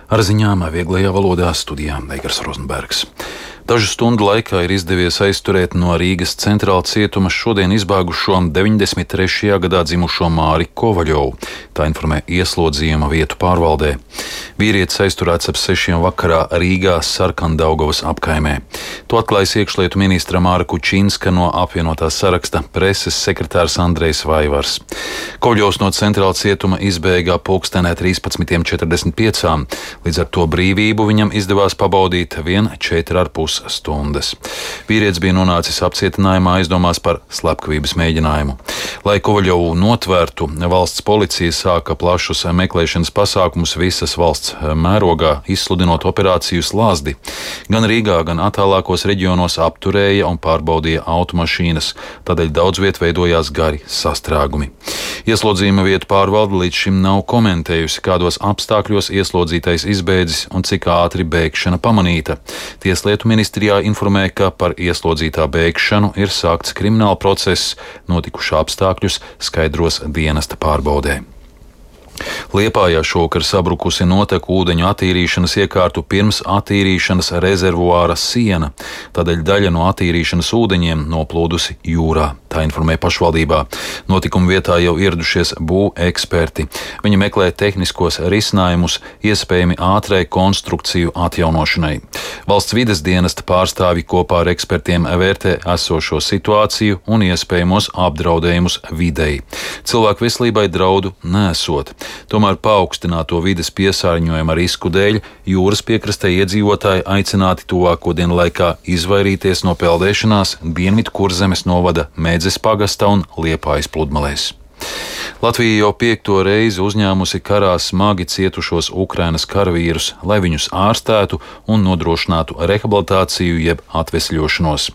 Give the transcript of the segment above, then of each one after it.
Ar ziņām vieglajā valodā studijā Eigars Rozenbergs. Dažu stundu laikā ir izdevies aizturēt no Rīgas centrāla cietuma šodien izbēgušo 93. gadā dzimušo Māri Kovaļovu. Tā informē ieslodzījuma vietu pārvaldē. Vīrietis aizturēts ap 6 vakarā Rīgā Sarkandaugavas apkaimē. To atklājas iekšlietu ministra Māra Kučinska no apvienotā saraksta preses sekretārs Andrejs Vaivars. Kovaļovs no centrāla cietuma izbēgā pulkstenē 13:45. Līdz ar to brīvību viņam izdevās pabaudīt vien 4,5 stundas. Vīrietis bija nonācis apcietinājumā aizdomās par slepkavības mēģinājumu. Lai Kovaļovu notvērtu, valsts policija sāka plašus meklēšanas pasākumus visas valsts mērogā, izsludinot operāciju Slazdi. Gan Rīgā, gan attālākos reģionos apturēja un pārbaudīja automašīnas, tādēļ daudz viet veidojās gari sastrēgumi. Ieslodzījuma vietu pārvalde līdz šim nav komentējusi, kādos apstākļos ieslodzītais izbēdzis un cik ātri bēgšana pamanīta. Tieslietu ministrijā informē, ka par ieslodzītā bēgšanu ir sākts krimināla process, notikušā apstākļus skaidros dienesta pārbaudē. Liepājā šovakar sabrukusi noteku ūdeņu attīrīšanas iekārtu pirms attīrīšanas rezervuāra siena, tādēļ daļa no attīrīšanas ūdeņiem noplūdusi jūrā. Tā informē pašvaldībā. Notikuma vietā jau ieradušies būveksperti. Viņi meklē tehniskos risinājumus iespējami ātrai konstrukciju atjaunošanai. Valsts vides dienesta pārstāvji kopā ar ekspertiem vērtē esošo situāciju un iespējamos apdraudējumus videi. Cilvēku veselībai draudu nesot. Tomēr paaugstināto vides piesārņojuma risku dēļ jūras piekrastē iedzīvotāji aicināti tuvāko dienu laikā izvairīties no peldēšanās Dienvidu Kurzemes novada Mēdzes pagasta un Liepājas pludmalēs. Latvija jau 5. reizi uzņēmusi karā smagi cietušos Ukrainas karavīrus, lai viņus ārstētu un nodrošinātu rehabilitāciju jeb atvesļošanos.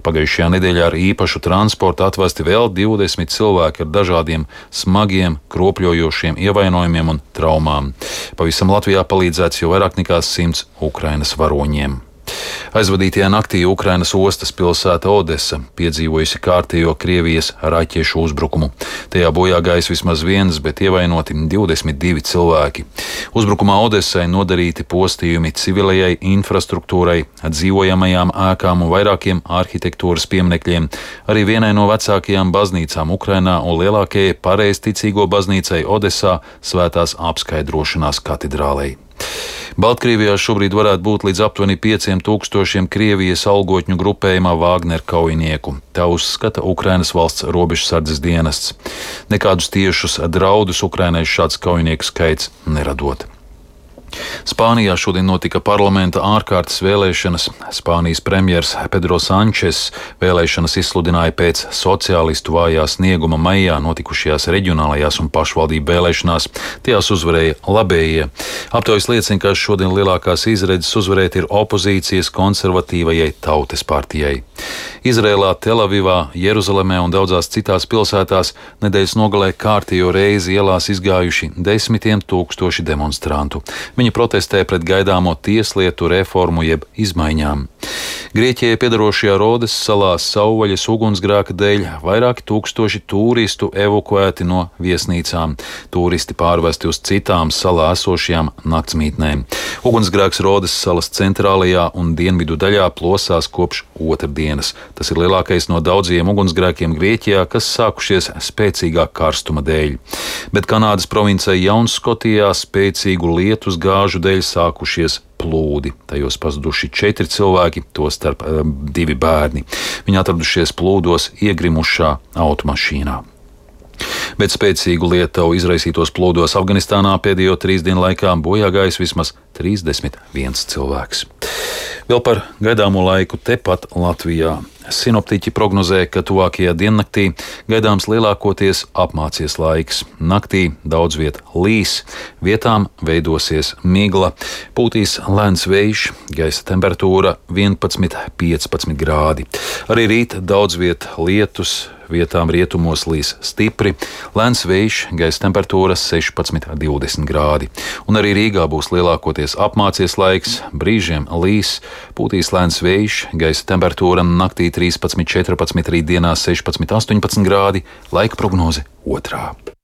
Pagājušajā nedēļā ar īpašu transportu atvesti vēl 20 cilvēki ar dažādiem smagiem, kropļojošiem ievainojumiem un traumām. Pavisam Latvijā palīdzēts jau vairāk nekā 100 Ukrainas varoņiem. Aizvadītajā naktī Ukrainas ostas pilsēta Odesa piedzīvojusi kārtējo Krievijas raķešu uzbrukumu. Tajā bojā gājis vismaz viens, bet ievainoti 22 cilvēki. Uzbrukumā Odesai nodarīti postījumi civilajai infrastruktūrai, dzīvojamajām ēkām un vairākiem arhitektūras pieminekļiem, arī vienai no vecākajām baznīcām Ukrainā un lielākajai pareizticīgo baznīcai Odesā Svētās apskaidrošanās katedrālei. Baltkrievijā šobrīd varētu būt līdz aptuveni 5000 Krievijas algotņu grupējumā Vāgner kaujinieku. Tā uzskata Ukrainas valsts robežsardzes dienests. Nekādus tiešus draudus Ukrainai šāds kaujinieku skaits neradot. Spānijā šodien notika parlamenta ārkārtas vēlēšanas. Spānijas premjers Pedro Sančes vēlēšanas izsludināja pēc sociālistu vājā snieguma maijā notikušajās reģionālajās un pašvaldību vēlēšanās. Tajās uzvarēja labējie. Aptaujas liecina, ka šodien lielākās izredzes uzvarēt ir opozīcijas konservatīvajai Tautas partijai. Izrēlā, Telavivā, Jeruzalemē un daudzās citās pilsētās nedēļas nogalē kārtējo reizi ielās izgājuši 10 000 demonstrantu. Viņi protestē pret gaidāmo tieslietu reformu jeb izmaiņām. Grieķijai piedarošajā Rodes salā savvaļas ugunsgrēka dēļ vairāki tūkstoši turistu evakuēti no viesnīcām. Turisti pārvesti uz citām salā esošajām naktsmītnēm. Ugunsgrēks Rodes salas centrālajā un dienvidu daļā plosās kopš otrdienas. Tas ir lielākais no daudziem ugunsgrēkiem Grieķijā, kas sākušies spēcīgā karstuma dēļ. Bet Kanādas provincē Jaunskotijā spēcīgu lietus gāžu dēļ sākušies plūdi. Tajos pazuduši 4 cilvēki, tostarp 2 bērni. Viņi atradušies plūdos iegrimušā automašīnā. Bet spēcīgu lietavu izraisītos plūdos Afganistānā pēdējo 3 dienu laikā bojā gājis vismaz 31 cilvēks. Vēl par gaidāmo laiku tepat Latvijā. Sinoptiķi prognozē, ka tuvākajā diennaktī gaidāms lielākoties apmācies laiks. Naktī daudz viet līs, vietām veidosies migla, pūtīs lēns vējš, gaisa temperatūra 11–15 grādi. Arī rīt daudz viet lietus, vietām rietumos līs stipri, lēns vējš, gaisa temperatūra 16–20 grādi. Un arī Rīgā būs lielākoties apmācies laiks, brīžiem līs, pūtīs lēns vējš, gaisa temperatūra naktī 13–14, rītdienā 16–18 grādi, laika prognoze 2.